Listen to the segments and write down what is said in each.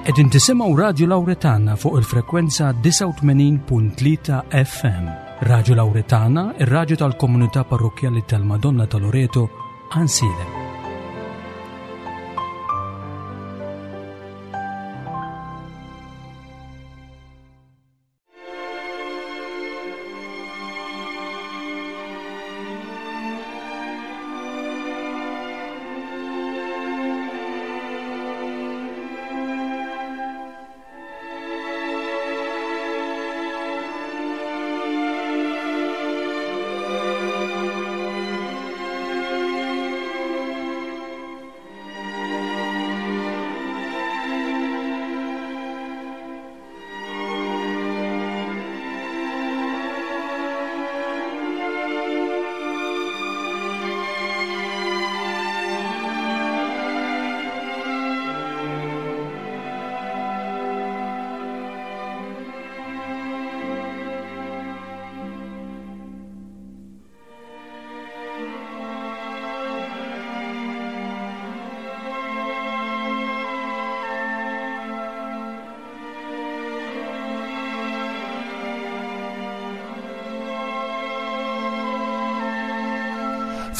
Qegħdin tisimgħu Radju Lawretana fuq il-frekwenza 89.3 FM. Radju Lawretana, ir-radju tal-komunità parrokkjali tal-Madonna ta' Loreto, Ansilem.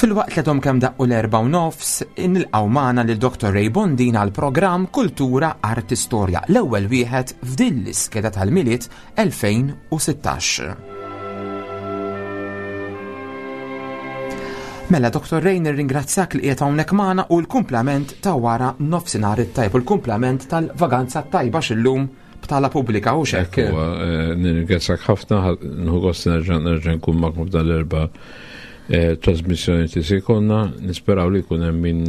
Filwaqt li għadhom kemm daqqu l-erba' u nofs, nilqgħu magħna lil Dr. Ray Bondin għal programm Kultura Arti Storja, l-ewwel wieħed f'din l-iskeda tal-Milied 2016. Mela, Dr. Ray, nirringrazzjak li qiegħed hawnhekk magħna u l-kumplament ta' wara nofsinhar it-tajb u l-kumplament tal-vaganza tajba x'illum btala pubblika u xek. Eh, nirringrazzjak ħafna, nħu gost nerġa' nerġa' nkun magħkom f'dan l-erba' eh, trasmissjoni li se jkollna, nisperaw li jkun hemm min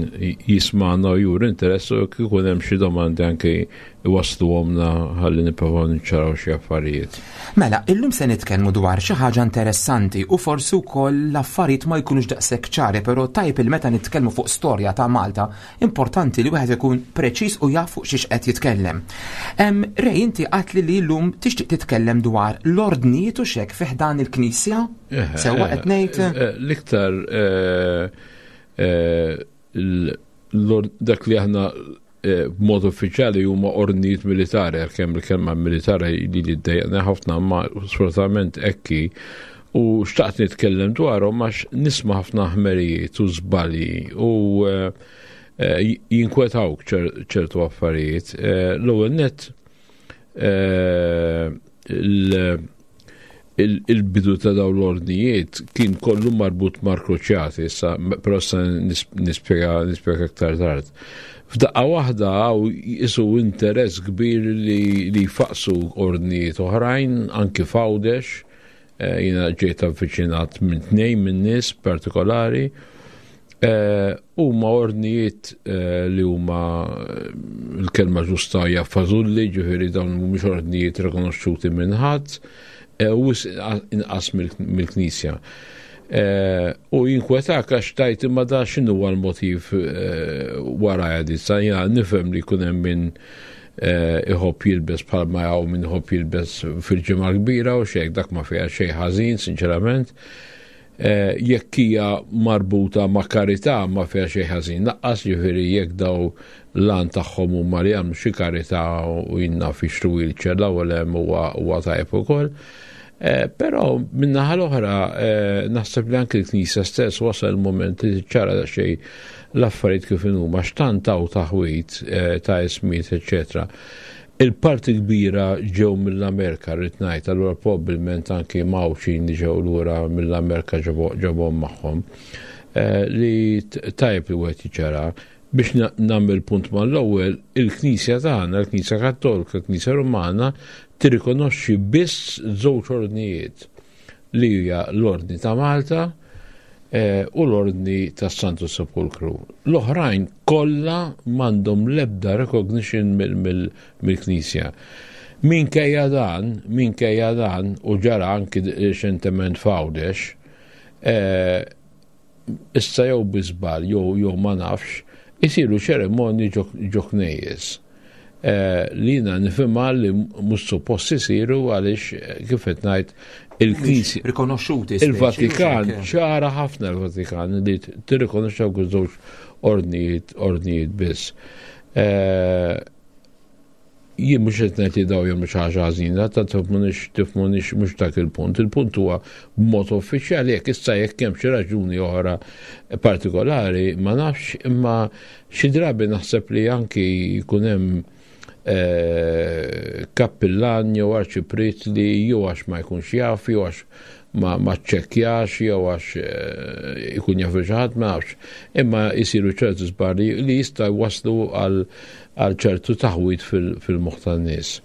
jisma'na u juri interess u jkun hemm xi domandi anke iwassluhomlna ħalli nipprovaw niċċaraw xi affarijiet. Mela, illum se nitkellmu dwar xi ħaġa interessanti u forsi wkoll l-affarijiet ma jkunux daqshekk ċari, però tajjeb il meta nitkellmu fuq storja ta' Malta, importanti li wieħed ikun preċiż u jaf fuq xiex qed jitkellem. Ray, inti għatli li llum tixtieq titkellem dwar l-ordnijiet u xek fi ħdan il-Knisja? Eh, Sewwa qed ngħid? Eh, eh, l-iktar dak li aħna Eh, b'mod uffiċjali huma ordnijiet militari, għalkemm il-kelma militari li li ddejjaqna ħafna ma sfortunatament ekki u xtaqt nitkellem dwarhom għax nisma' ħafna ħmerijiet u żbalji u eh, eh, jinkwetawk ċertu affarijiet. L-ewwel net il-bidu ta' dawn l-ordnijiet kien kollu marbut mal-kruċjati, issa però issa nispjega nispjega aktar tard. F'daqqa waħda hawn jisu interess kbir li, li jfaqsu ordnijiet oħrajn anki f'Għawdex, eh, jiena ġejt avviċinat minn tnejn minn nies partikolari Eh, huma ordnijiet eh, li huma eh, l-kelma ġusta hija fażulli, ġifieri dawn mhumiex ordnijiet rikonoxxuti minn ħadd, u inqas mill-Knisja. U jinkwetak għax tajt imma da x'inhu l-motiv wara għadi. Sa jiena nifhem li jkun hemm min iħobb jilbes bħalma hawn min iħobb jilbes fil-ġimgħa kbira u xejn dak ma fiha xejn ħażin, sinċerament. Eh, jekk hija marbuta ma' karità ma fiha xejn ħażin. Naqqas ġifieri jekk daw lan tagħhom huma li jagħmlu xi karità u jinna fi wheelchair l-ewwel hemm huwa tajjeb ukoll. Eh, però min-naħa l-oħra eh, naħseb li anke l-Knisja stess wasal il-moment li ċara xejn l-affarijiet kif inhuma x'tant hawn taħwit ta' ismijiet eċċetera. Il-parti kbira ġew mill-Amerika rrid ngħid, allura probbilment anki Mawxin li ġew lura mill-Amerika ġabhom magħhom. Eh, li tajjeb li wieħed jiċċara biex nagħmel punt mal-ewwel, il-Knisja tagħna, il-Knisja Kattolika, il-Knisja Rumana, tirrikonoxxi biss żewġ ordnijiet li hija l-Ordni ta' Malta eh, u l-Ordni tas Santu Sepulkru. L-oħrajn kollha m'għandhom l-ebda recognition mill-Knisja. Minkejja dan, minkejja dan, u ġara anki reċentement f'Għawdex, eh, issa jew bi żball jew jew ma nafx, isiru ċerimonji ġo knejjes. Eh, li jiena nifhimha li mhux suppost isiru għaliex eh, kif qed ngħid il-Knisja. Rikonoxxuti. Il-Vatikan ċara ħafna l-Vatikan li tirrikonoxxi dawk iż-żewġ ordnijiet ordnijiet biss. Eh, Jien mhux qed ngħid li daw jagħmlu xi ħaġa ħażina, ta' tifhmunix tifhmunix mhux dak il-punt. Il-punt huwa b'mod uffiċjali jekk issa jekk hemm xi raġuni oħra partikolari ma nafx imma xi drabi naħseb li anki jkun hemm eh, kappillan jew arċipriet li jew għax ma jkunx jaf jew għax ma ma ċċekkjax jew għax eh, ikun jaf xi ħadd ma nafx. Imma jsiru ċertu żbalji li jista' jwasslu għal għal ċertu taħwid fil-moħħ tan-nies.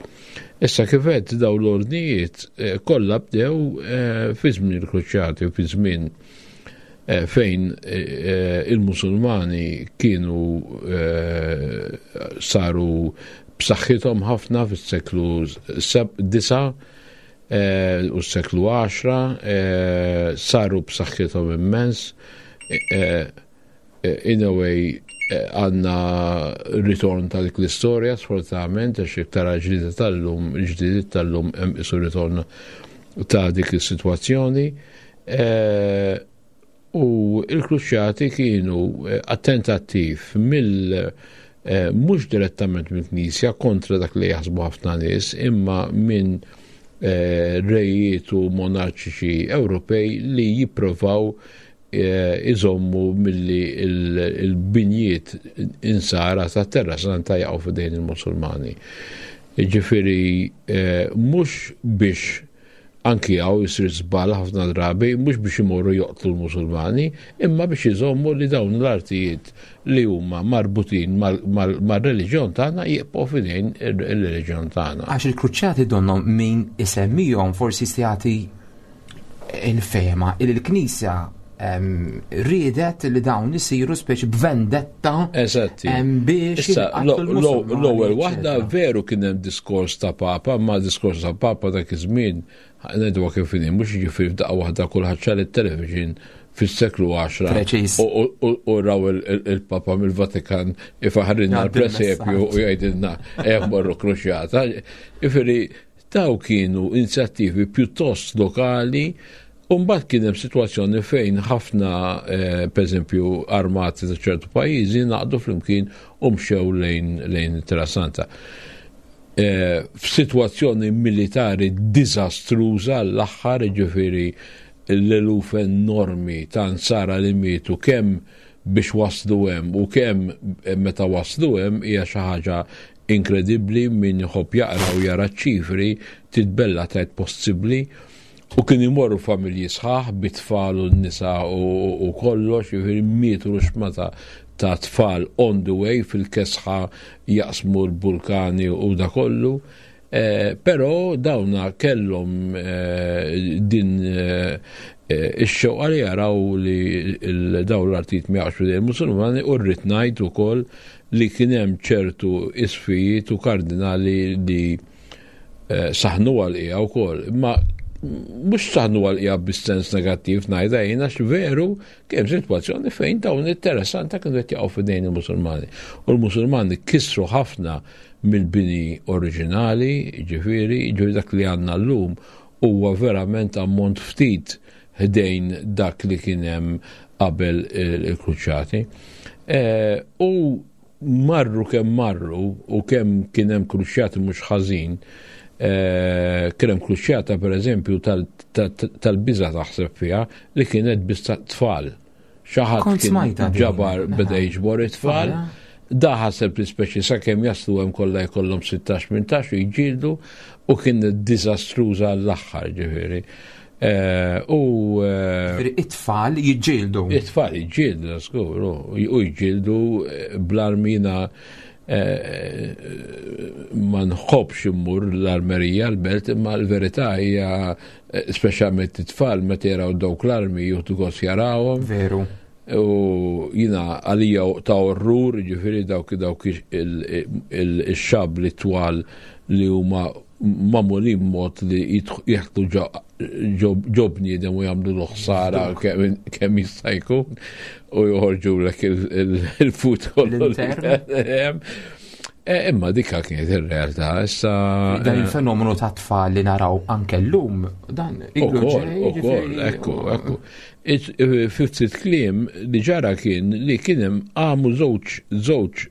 Issa kif għedt dawn l-ordnijiet eh, kollha bdew eh, fi żmien il-Kruċjati u fi żmien fejn il-Musulmani kienu saru b'saħħithom ħafna fis-seklu 9 Eh, u s-seklu 10 eh, saru b'saħħithom immens. Eh, in a way għanna ritorn ta' dik l-istorja, sfortunatament, għax iktar ġdida tal-lum, ġdidiet tal-lum hemm isu ritorn ta' dik is-sitwazzjoni. U l-Kruċjati kienu attentattiv mill mhux direttament mill-Knisja kontra dak li jaħsbu ħafna nies, imma minn rejiet u monarċiċi Ewropej li jipprovaw iżommu milli l-binjiet insara ta' Terra Santa jaqgħu f'idejn il-Musulmani. Ġifieri mhux biex Anki hawn isir żball ħafna drabi mhux biex imorru joqtlu l-Musulmani, imma biex iżommu li dawn l-artijiet li huma marbutin mar-reliġjon tagħna jibqgħu f'idejn ir-reliġjon tagħna. Għax il-kruċjati donnhom min isemmihom forsi jista' jagħti il-fehma li l-Knisja riedet li dawn isiru speċi b'vendetta. Eżatti. Biex l-ewwel waħda veru kien hemm diskors ta' Papa, ma diskors ta' Papa dak iż-żmien ngħidu kif inhi, mhux jiġifieri f'daqqa waħda kulħadd xar it-television fis-seklu 10 u raw il-Papa mill-Vatikan ifaħrinna l-presepju u jgħidilna hemm morru kruċjata. Jiġifieri Dawn kienu inizjattivi pjuttost lokali u mbagħad kien hemm sitwazzjoni fejn ħafna eh, pereżempju armati ta' ċertu pajjiżi naqdu flimkien u mxew lejn lejn Terra Santa. Eh, f'sitwazzjoni militari diżastruża l-aħħar ġifieri l-eluf enormi ta' nsara li mietu kemm biex waslu hemm u kemm meta waslu hemm hija xi ħaġa Inkredibbli min iħobb jaqra u jara ċ-ċifri titbella tgħid possibbli u kien imorru familji sħaħ bit-tfal u n-nisa u kollox, jiġifieri mietu ruxmata ta' tfal on the way fil-kesħa jaqsmu l-vulkani u da kollu. Eh, però dawna kellhom eh, din eh, ix-xewqa li jaraw li dawn l-artijiet ma jaqgħux f'idejn il-Musulmani u rrid ngħid ukoll li kien hemm ċertu isfijiet u kardinali li eh, saħnu għal-qija wkoll. Imma mhux saħnu għal-qija bis-sens negattiv ngħidha jien għax veru kien sitwazzjoni fejn dawn it-Terra Santa kienu qed jaqgħu f'idejn il-Musulmani. U l-Musulmani kisru ħafna mill-bini oriġinali, ġifieri, ġifieri dak li għandna llum huwa verament ammont ftit ħdejn dak li kien hemm qabel il-kruċjati. Eh, u marru kemm marru u kemm kien hemm kruċjati mhux ħażin, eh, kien hemm kruċjata pereżempju tal-biża taħseb fiha li kienet biss tfal. Xi ħadd kien ġabar beda jiġbor it-tfal. Da ħaseb li speċi sakemm jaslu hemm kollha jkollhom 16-18 u jġieldu u kien diżastruża l-aħħar ġifieri. Eh, u eh, it-tfal jiġġieldu. It-tfal jiġġieldu, skur, u jiġġieldu eh, bl-armina ma nħobbx immur l-armerija l-belt imma l-verità hija speċjalment it-tfal meta jaraw dawk l-armi jieħdu gost jarawhom. Veru. U jina għalija ta' orrur, ġifiri dawk dawk il-xab li twal li huma mamulin mod li jieħdu ġo bniedem u jagħmlu l-ħsara kemm jista' jkun u joħorġu lek il-fut kollu. Eh, imma dikka kienet ir-realtà issa. Dan eh, il-fenomenu ta' tfal li naraw anke llum, dan Ukoll, ukoll, ekku, ekku. Eh, fi ftit kliem li ġara kien li kien hemm għamu żewġ żewġ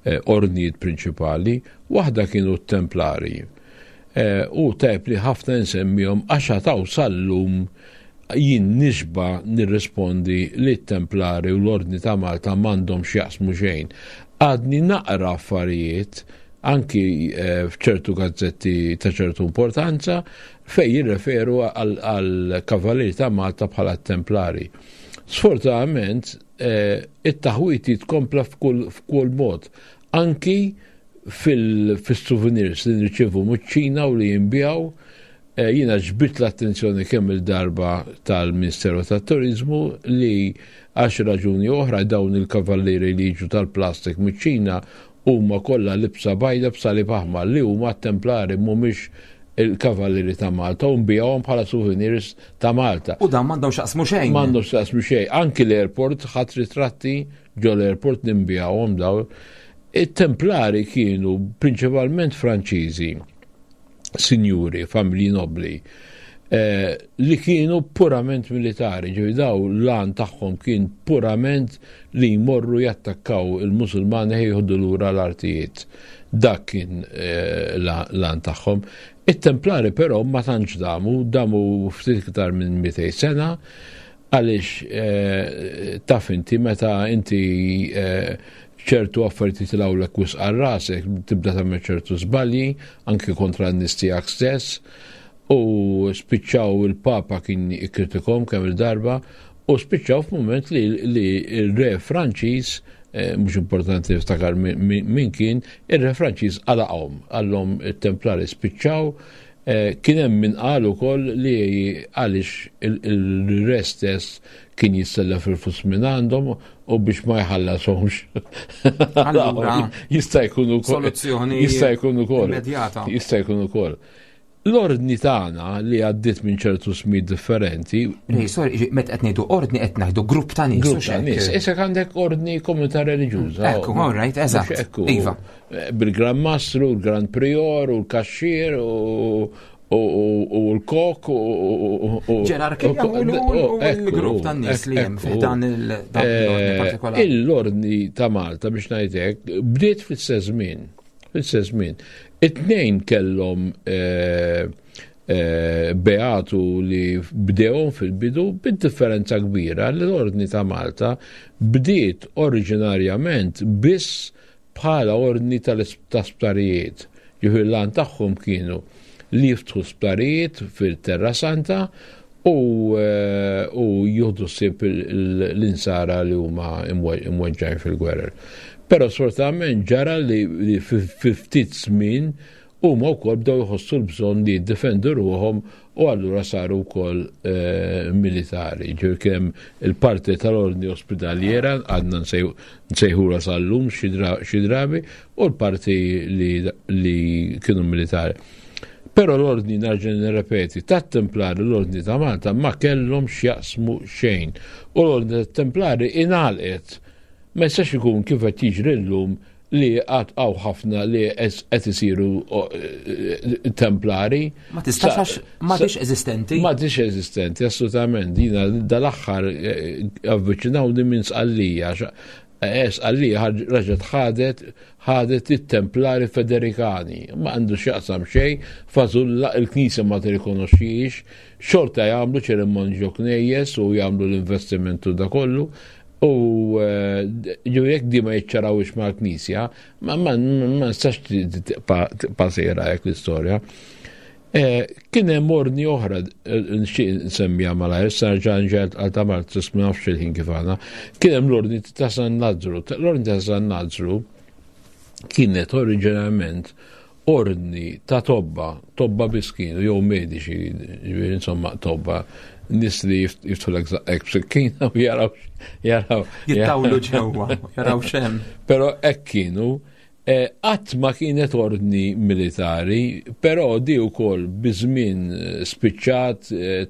ordnijiet prinċipali, waħda kienu t-Templari. U tajb li ħafna nsemmihom għax għataw sal-lum jien nixba nirrispondi li t-Templari u l-Ordni ta' Malta m'għandhom x'jaqsmu xejn. Għadni naqra affarijiet anki f'ċertu gazzetti ta' ċertu importanza fejn jirreferu għal Kavalieri ta' Malta bħala Templari. Sfortunatament, it-taħwit jitkompla f'kull mod, anki fil-souvenirs li nirċievu miċ-Ċina u li jinbiegħu. Jiena ġbidt l-attenzjoni kemm il-darba tal-Ministeru tat-Turiżmu li għal xi raġuni oħra dawn il-kavallieri li jiġu tal-plastik miċ-Ċina huma kollha libsa bajda b'salib aħmar li huma t-Templari mhumiex il-Kavallieri ta' Malta u nbigħuhom bħala souvenirs ta' Malta. U dan m'għandhom x'jaqsmu xejn. M'għandhom x'jaqsmu xejn. Anki l-airport ħadd ritratti ġo l-airport ninbigħuhom dawn. It-Templari kienu prinċipalment Franċiżi, sinjuri, familji nobbli, li kienu purament militari, ġifieri daw l-għan tagħhom kien purament li jmorru jattakkaw il-Musulmani jieħdu lura l-artijiet. Dak kien l-għan tagħhom. It-Templari però ma tantx damu, damu ftit iktar minn 200 sena, għaliex taf inti meta inti ċertu affarijiet jitilgħulek wisq għal rasek, tibda tagħmel ċertu żbalji, anki kontra n-nies tiegħek stess, u spiċċaw il-Papa kien ikkritikom kemm il-darba, u spiċċaw f'mument li l-re Franċiż, mhux importanti niftakar min kien, ir-re Franċiż għalaqhom, għallhom it-Templari spiċċaw. Kien hemm min qal ukoll li għaliex il-re stess kien jissellef il-flus minn għandhom u biex ma jħallashomx. Allura, jista' jkun ukoll. Soluzzjoni Jista' jkun ukoll. immedjata. Jista' jkun ukoll. L-ordni tagħna li għaddiet minn ċertu smijiet differenti. Ej, sorry, meta qed ngħidu ordni qed ngħidu grupp ta' nies, Grupp hux ta' hekk? nies. Issa għandek ordni komunità reliġjuża. Ekku, all right, eżatt. Mhux ekku. Iva. Bil-Gran Mastru, l-Gran Prior, u l-Kaxxier, u l-Kok, u Ġerarkija u l-grupp ta' nies li hemm fih dan l-ordni partikolari. L-ordni ta' Malta, biex ngħidlek, bdiet fl-istess żmien. Fl-istess żmien. It-tnejn kellhom beatu li bdewhom fil-bidu bid-differenza kbira li l-Ordni ta' Malta bdiet oriġinarjament biss bħala ordni ta' sptarijiet. Ġifieri l-għan tagħhom kienu li jiftħu sptarijiet fil-Terra Santa u jieħdu ħsieb l-insara li huma imweġġgħin fil-gwerer. Però sfortunatament ġara li fi ftit żmien huma wkoll bdew jħossu l-bżonn li jiddefendu ruħhom u allura saru wkoll militari. Ġifieri kien hemm il-parti tal-ordni ospedaliera, għadna nsejħula sal-lum xi drabi, u l-parti li kienu militari. Però l-ordni, nerġa' nirrepeti, tat-Templari l-ordni ta' Malta ma kellhom x'jaqsmu xejn. U l-ordni tat-Templari ingħalqet. Ma jistax ikun kif qed jiġri llum li għad hawn ħafna li qed isiru templari. Ma tistax għax m'għadix eżistenti. M'għadix eżistenti, assolutament. Jiena dal-aħħar avviċinawni minn Sqallija. Sqallija raġet ħadet it-Templari Federikani. Ma għandu x'jaqsam xejn, fażulla il-Knisja ma tirrikonoxxix, xorta jagħmlu ċerimonji ġo knejjes u jagħmlu l-investimentu da kollu. U ġew jekk di ma jiċċarawx mal-Knisja, ma nistax tibqa' sejra hekk l-istorja. Kien hemm ordni oħra, nixtieq nsemmiha malajr, issa nerġa' nġel għal ta' Malta, ma nafx il-ħin kif għandna. Kien hemm l-ordni ta' San Lazzru. L-ordni ta' San Lazzru kienet oriġinarjament ordni ta' tobba, tobba biss kienu, jew mediċi, ġifieri insomma tobba, nies li jiftħulek żaqqek b'sikkina u jaraw, jaraw. Jittawlu ġewwa, jaraw x'hemm. Però hekk kienu. Qatt ma kienet ordni militari, però di wkoll biż-żmien spiċċat,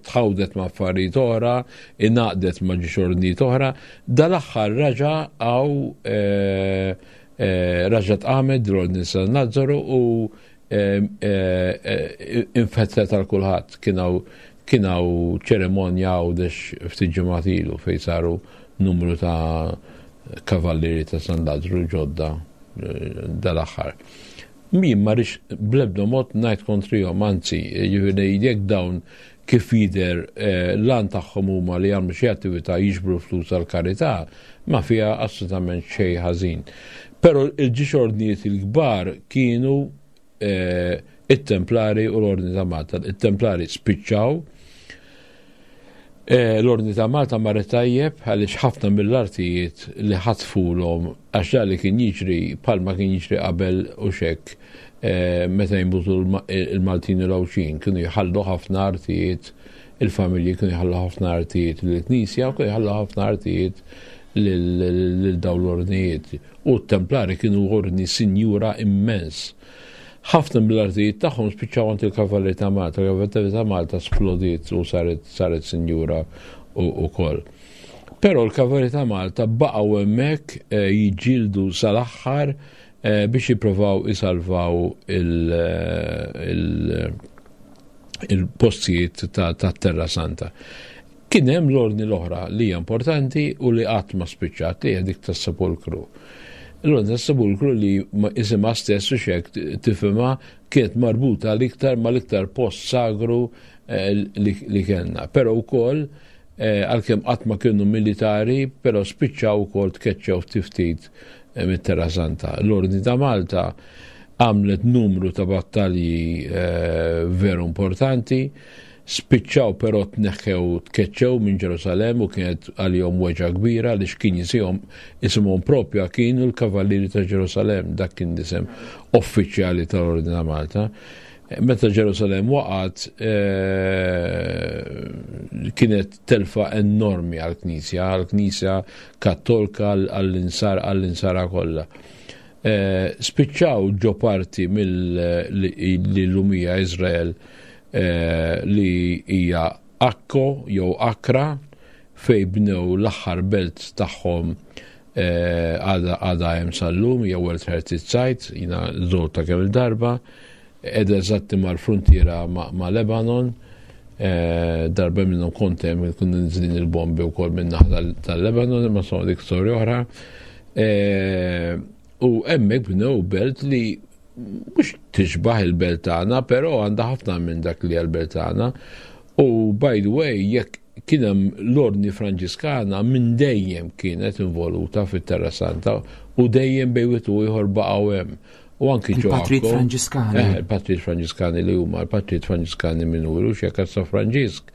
tħawdet ma' affarijiet oħra, ingħaqdet ma' ġiex ordnijiet oħra. Dal-aħħar raġa' hawn raġa' tqamet l-ordni San Lazzaro u infetħet għal kulħadd. Kien hawn ċerimonja Għawdex ftit ġimgħat ilu fejn saru numru ta' kavallieri ta' San Lazzaro ġodda. dal-aħħar. Min ma rridx bl-ebda mod ngħid kontrihom, anzi, jiġifieri jekk dawn kif jidher eh, l-għan tagħhom huma li jagħmlu xi attività jiġbru flus għall-karità, ma fiha assolutament xejn ħażin. Però il-ġiex ordnijiet il-kbar kienu eh, it-Templari u l-Ordni ta' Malta. It-Templari spiċċaw Eh, l-Ordni ta' Malta marret tajjeb għaliex ħafna mill-artijiet li ħatfulhom għax dak li kien jiġri bħalma kien jiġri qabel u xek eh, meta jinbutu il-Maltin u l-Għawdxin kienu jħallu ħafna artijiet il-familji kienu jħallu ħafna artijiet lill-Knisja u kienu jħallu ħafna artijiet lil dawn l-ordnijiet. U t-Templari kienu ordni sinjura immens. Ħafna mill-artijiet tagħhom spiċċaw għand il-Kavallieri ta' Malta, il-Kavallieri ta' Malta splodiet u saret saret sinjura ukoll. Però l-Kavallieri ta' Malta baqgħu hemmhekk eh, jiġġieldu sal-aħħar eh, biex jippruvaw isalvaw il-postijiet ta' Terra Santa. Kien hemm l-ordni l-oħra li hija importanti u li qatt ma spiċċat li hija dik tas-sepolkru. L-ordni tas-sepolkru li isimha stess u xek tifhimha kienet marbuta l-iktar mal-iktar post sagru eh, li kellna. Però wkoll eh, għalkemm qatt ma kienu militari, però spiċċaw ukoll tkeċċew ftit ftit eh, mit-Terra Santa. L-Ordni ta' Malta għamlet numru ta' battalji veru importanti. Spiċċaw però tneħħew tkeċċew minn Ġerusalemm u kienet għalihom weġgħa kbira għaliex kien jisihom isimhom propja kienu l-Kavallieri ta' Ġerusalemm, dak kien l-isem uffiċjali tal-Ordni ta' Malta. Meta Ġerusalemm waqgħet eh, kienet telfa enormi għall-Knisja, għall-Knisja Kattolka, għall-insar, għall-insara kollha. Eh, spiċċaw ġo parti mill-lumija Izrael eh, li hija Akko jew Akra fej bnew l-aħħar belt tagħhom eh, għadha hemm sal-lum hija World Heritage Site, jina żorta kemm il-darba, qiegħda eżatti mal-fruntiera ma' Lebanon, eh, darba minnhom kont hemm kienu niżlin il-bombi wkoll minn naħa tal-Lebanon, imma insomma dik storja oħra. U hemmhekk bnew belt li mhux tixbaħ il-belt tagħna, però għandha ħafna minn dak li l-belt tagħna. U by the way, jekk kien hemm l-Ordni Franġiskana minn dejjem kienet involuta fit-Terra Santa u dejjem bejn wieħed u ieħor baqgħu hemm. U anki ġo. Il-Patrijiet Franġiskani. Eh, il-Patrijiet Franġiskani li huma l-Patrijiet Franġiskani minuri u xekk San Franġisk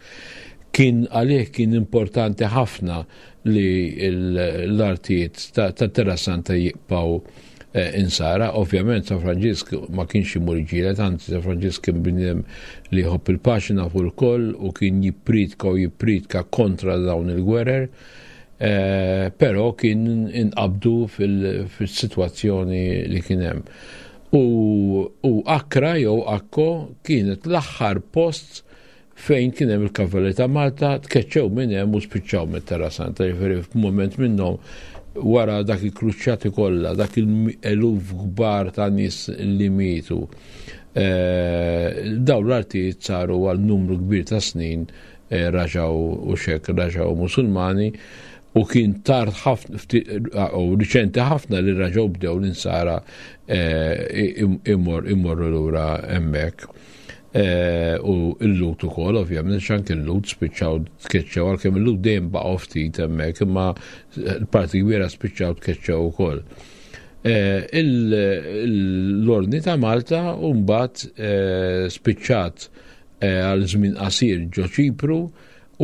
kien għalih kien importanti ħafna li l-artijiet ta' Terra Santa jibqgħu eh, insara. Ovvjament San Franġisk ma kienx imur iġielet, anzi San Franġisk kien bniedem li jħobb il-paċi nafu l-koll u kien jippritka u jippritka kontra dawn il-gwerer. Eh, però kien inqabdu fil-sitwazzjoni li kien hemm. U, u Akra jew Akko kienet l-aħħar post fejn kien hemm il-Kavalli ta' Malta tkeċċew minn hemm u spiċċaw mit-Terra Santa, jiġifieri f'mument minnhom wara dak il-kruċjati kollha, dak il-eluf kbar ta' nies li mietu. Eh, dawn l-artijiet saru għal numru kbir ta' snin eh, raġaw u xek raġaw Musulmani u kien tard ħafna u riċenti ħafna li raġaw bdew l-insara eh, immorru lura hemmhekk. Eh, u il-lut ukoll, ovvjament, xank il-lut spiċċaw tkeċċew, għalkemm il-lut dejjem baqgħu ftit hemmhekk, imma l-parti kbira spiċċaw tkeċċew ukoll. Eh, l-Ordni ta' Malta mbagħad eh, spiċċat għal żmien qasir ġo Ċipru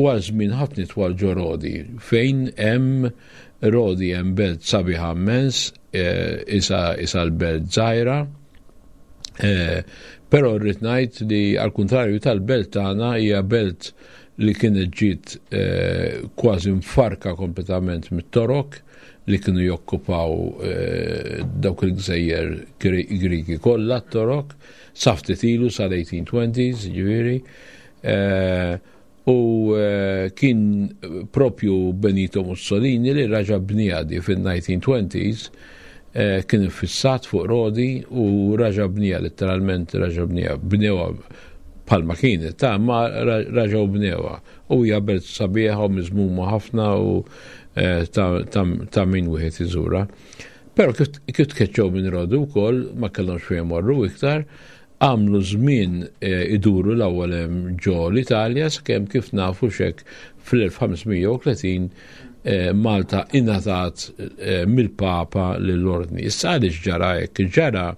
u għal żmien ħafna twal ġo Rodi, fejn hemm Rodi hemm belt sabiħa immens, isa l-belt żgħira, Eh, però rrid ngħid li għal kuntrarju tal-belt tagħna hija belt li kienet ġiet eh, kważi mfarka kompletament mit-Torok li kienu jokkupaw eh, dawk il-gżejjer Griki kollha t-Torok sa ftit ilu sal-1820s, ġifieri. U kien propju Benito Mussolini li raġa' bniha di fin-1920s, kien iffissat fuq Rodi u raġa' bniha, letteralment raġa' bniha, bnewha bħalma kienet, ta' ma raġgħu bnewha. U hija belt sabiħa u miżmuma ħafna u ta' min wieħed iżurha. Però kif tkeċċew minn Rodi wkoll ma kellhomx fejn morru iktar, għamlu żmien eh, iduru l-ewwel hemm ġo l-Italja sakemm kif nafu xek fl-1530 eh, Malta ingħatat eh, mill-Papa lill-Ordni. Issa għaliex ġara hekk? Ġara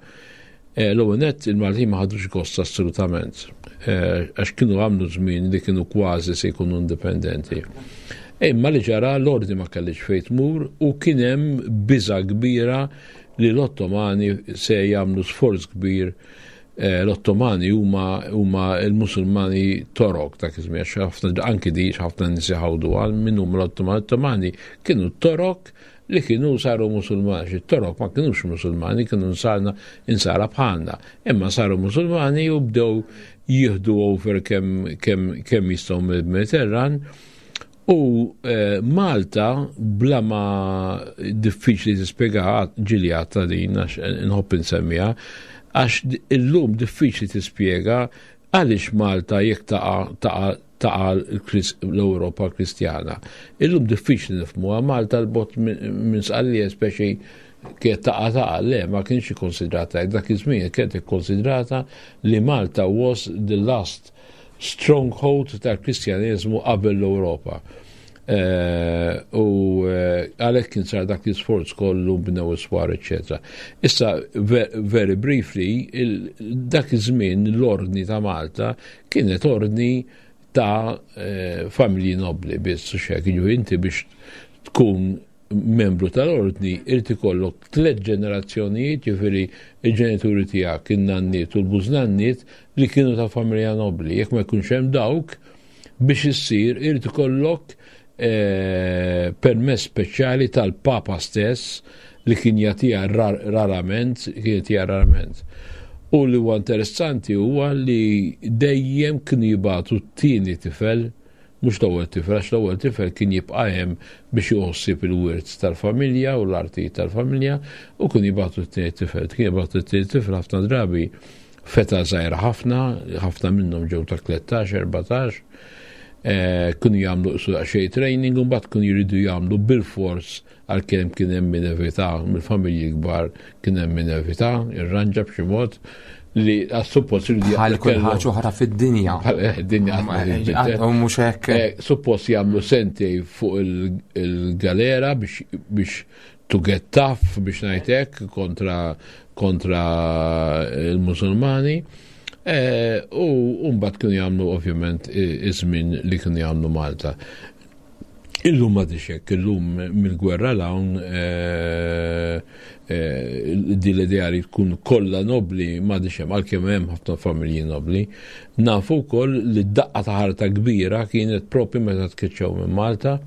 L-ewwel nett il-Maltin ma ħadux gost assolutament għax kienu għamlu żmien li kienu kważi se jkunu indipendenti. Imma li ġara l-ordni ma kellix fejn tmur u kien hemm biża kbira li l-Ottomani se jagħmlu sforz kbir eh, l-Ottomani huma huma l-Musulmani Torok dak iż-żmien għax ħafna anki di ħafna nies iħawdu għal min huma l-Ottomani. L-Ottomani kienu Torok li kienu saru Musulmani, xi Torok ma kinux Musulmani, kienu nsarna insara bħalna, imma saru Musulmani u bdew jieħdu over kemm kem, kem jistgħu mill-Mediterran u eh, Malta bla ma diffiċli tispjega ġili għatta din għax nħobb insemmiha għax illum diffiċli tispjega għaliex Malta jekk taqa' taqa' taqa' l-Ewropa Kristjana. Illum diffiċli nifhmuha Malta l-bot minn Sqallija speċi kienet taqa' taqa' le ma kienx ikkonsidrata dak iż-żmien kienet ikkonsidrata li Malta was the last stronghold tal-Kristjaneżmu qabel l-Ewropa. Eh, u eh, għalhekk kien sar dak l-isforz kollu bnew iswar, eċetera. Issa, very briefly, dak iż-żmien l-ordni ta' Malta kienet ordni ta' eh, familji nobli biss, u xek, inti biex tkun membru tal-ordni irid ikollok tliet ġenerazzjonijiet, jiġifieri il-ġenituri tiegħek, in-nanniet u l-bużnanniet li kienu ta' familja nobli. Jekk ma jkunx hemm dawk, biex issir irid ikollok eh, permess speċjali tal-Papa stess li kien jagħtiha rarament, kien jagħtiha rarament. U li huwa interessanti huwa li dejjem kienu jibgħatu t-tieni tifel mhux l-ewwel tifel, għax l-ewwel tifel kien jibqa' hemm biex jħossib il-wirt tal-familja u l-artijiet tal-familja u kien jibgħatu t-tieni tifel. Kien jibgħatu t-tieni tifel ħafna drabi feta żgħira ħafna, ħafna minnhom ġew ta' 13, 14, eh, kienu jagħmlu isu daqsxejn training u mbagħad kienu jridu jagħmlu bil-fors għalkemm kien hemm min evita mill-familji kbar kien hemm min evita irranġa b'xi mod li għas-suppost jridu Bħal kull ħaġa oħra fid-dinja. Eh, dinja eh, u mhux hekk. Suppost jagħmlu sentej fuq il-galera biex to get tough biex ngħid kontra kontra il-Musulmani. Eh, u mbagħad kienu jagħmlu ovvjament iż-żmien li kienu jagħmlu Malta. Illum ma hekk, illum mill-gwerra l-hawn eh, eh, din l-idea li tkun kollha nobli ma hemm għalkemm hemm ħafna familji nobli. Nafu wkoll li d-daqqa ta' ħarta kbira kienet propju meta tkeċċew minn Malta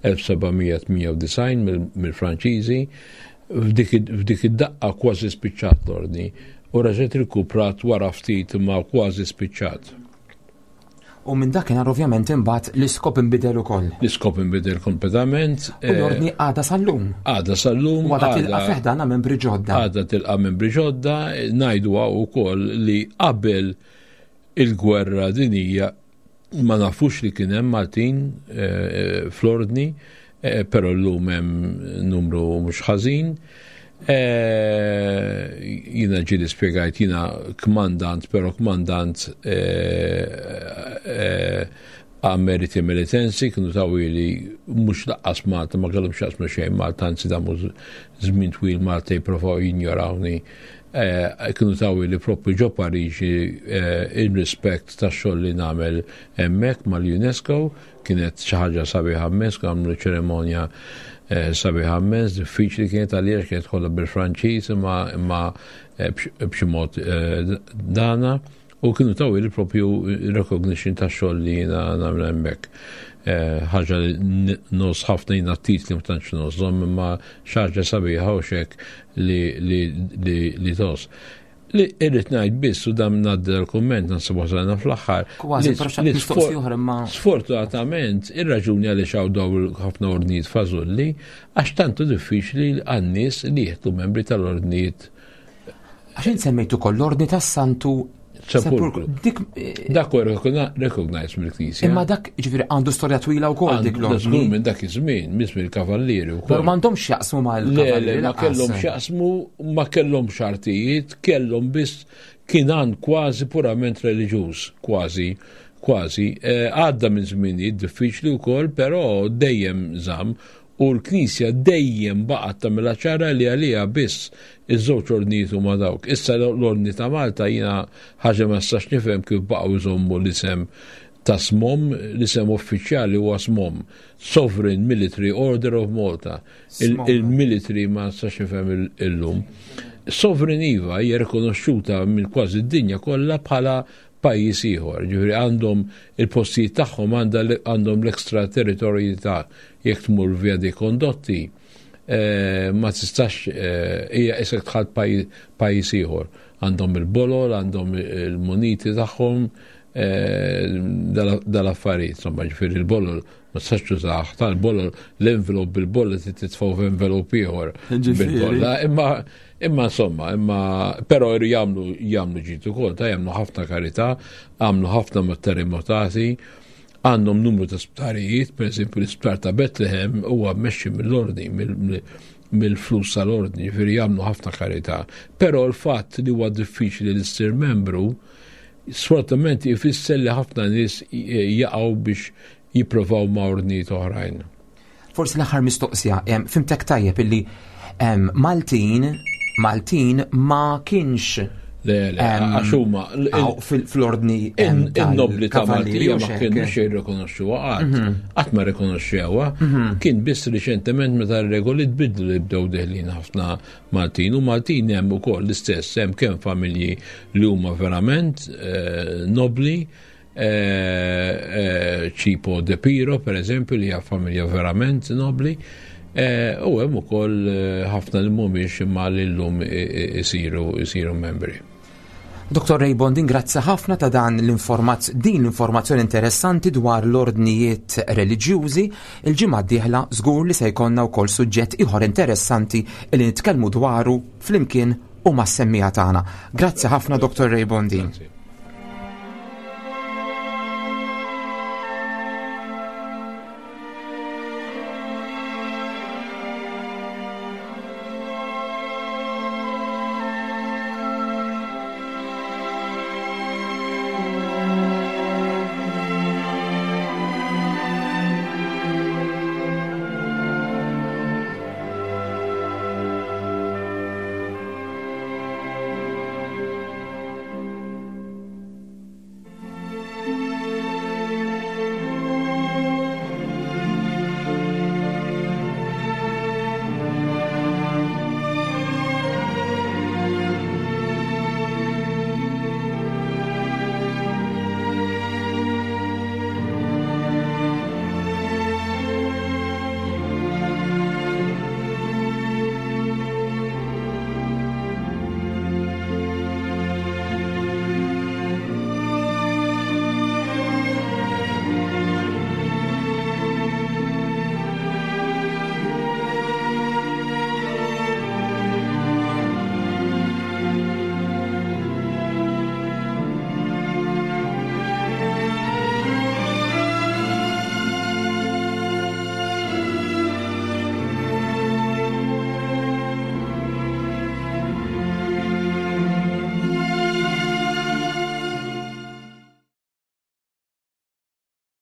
1798 mill-Franċiżi f'dik id-daqqa kważi spiċċat l-ordni u reġgħet irkuprat wara ftit ma kważi spiċċat. U minn dakinhar ovvjament imbagħad l-iskop inbidel ukoll. L-iskop inbidel kompletament. U l-ordni eh, għadha sal-lum. Għadha sal-lum. U għadha tilqa' fiħdana membri ġodda. Għadha tilqa' membri ġodda, ngħidu wkoll li qabel il-gwerra dinija ma nafux li kien hemm Maltin eh, fl-ordni, eh, però llum hemm numru mhux ħażin. Eh, jina ġili spiegajt, jina kmandant, pero kmandant Ameriti Militensi kienu tawili mhux laqqas Malta ma kellhom x'jaqsmu xejn Malta anzi damu żmien twil Malta jipprovaw jinjorawni Eh, kienu tawili propju ġo Pariġi eh, in rispett tax-xogħol li nagħmel hemmhekk mal-UNESCO kienet xi ħaġa sabiħa immens, għamlu ċerimonja eh, sabiħa immens, diffiċli kienet għalija kienet kollha bil-Franċiż imma imma b'xi mod dana u kienu tawili propju recognition tax-xogħol li jiena nagħmel hemmhekk. Ħaġa li nos ħafna jiena titli ma tantx nożhom imma xi ħaġa sabiħa u xek li li li li tos. Li irrid ngħid biss u dam ngħaddi l-kumment naħseb wasalna fl-aħħar. Kważi mistoqsija oħra imma. Sfortunatament ir-raġuni għaliex hawn daw ħafna ordnijiet fażulli għax tantu diffiċli għan-nies li jieħdu membri tal-ordnijiet. Għax int semmejt ukoll l-ordni tas-Santu. Sepulkru. Dik eh, Dak huwa recognized mill-Knisja. Imma dak ġifieri għandu storja twila wkoll dik l Żgur minn dak iż-żmien, minn żmien il-kavallieri wkoll. Però m'għandhomx jaqsmu mal-kavallieri. Le, ma kellhom x'jaqsmu, ma kellhom xartijiet, kellhom biss kien għan kważi purament reliġjuż, kważi kważi. Eh, għadda minn żminijiet diffiċli wkoll, però dejjem żamm U l-Knisja dejjem baqgħet tagħmilha ċara li għaliha biss iż-żewġ ordnijiet huma dawk. Issa l-Ordni ta' Malta jiena ħaġa ma nistax nifhem kif baqgħu jżommu l-isem ta' SMOM, l-isem uffiċjali huwa SMOM, Sovereign Military Order of Malta. Il-military ma nistax nifhem illum. Sovereign iva hija rikonoxxuta minn kważi d-dinja kollha bħala pajjiż ieħor. Ġifieri għandhom il-postijiet tagħhom għandhom l-extra territorjità jekk tmur via dei condotti eh, ma tistax eh, hija isek tħalt pajjiż ieħor. Għandhom il-bolol, għandhom il-muniti tagħhom, eh, dal-affarijiet, insomma, ġifieri il-bolol ma tistax tużaħ, tal-bolol l-envelop bil-bolla titfgħu f'envelop ieħor. Bil-bolla, imma Imma insomma, imma però jagħmlu jagħmlu ġid ukoll, ta' jagħmlu ħafna karità, għamlu ħafna mat-terremotati, għandhom numru ta' sptarijiet, per eżempju l-isptar ta' Bethlehem huwa mmexxi mill-ordni, mill-flus tal-ordni, ġifieri jagħmlu ħafna karità. Però l-fatt li huwa diffiċli li ssir membru, sfortunatament ifisser li ħafna nies jaqgħu biex jipprovaw ma' ordnijiet oħrajn. Forsi l-aħħar mistoqsija, fimtek tajjeb illi Maltin, Maltin ma kienx Le, le, għax huma fl-ordni in-nobli ta' Maltija ma kienux jirrikonoxxuha qatt. Mhm. Qatt ma rikonoxxewha. Mhm. Kien biss riċentement meta r-regoli tbidlu li bdew deħlin ħafna Maltin u Maltin hemm ukoll l-istess hemm kemm familji li huma verament eh, nobli Cipo De Piro, per eżempju, li hija familja verament nobli, u hemm ukoll ħafna li mhumiex imma li llum isiru isiru membri. Dr. Ray Bondin, grazzi ħafna ta' dan l-informazz din l-informazzjoni interessanti dwar l-ordnijiet reliġjużi. Il-ġimgħa d-dieħla żgur li se jkollna wkoll suġġett ieħor interessanti li nitkellmu dwaru flimkien u mas-semmiegħa tagħna. Grazzi ħafna Dr. Ray Bondin.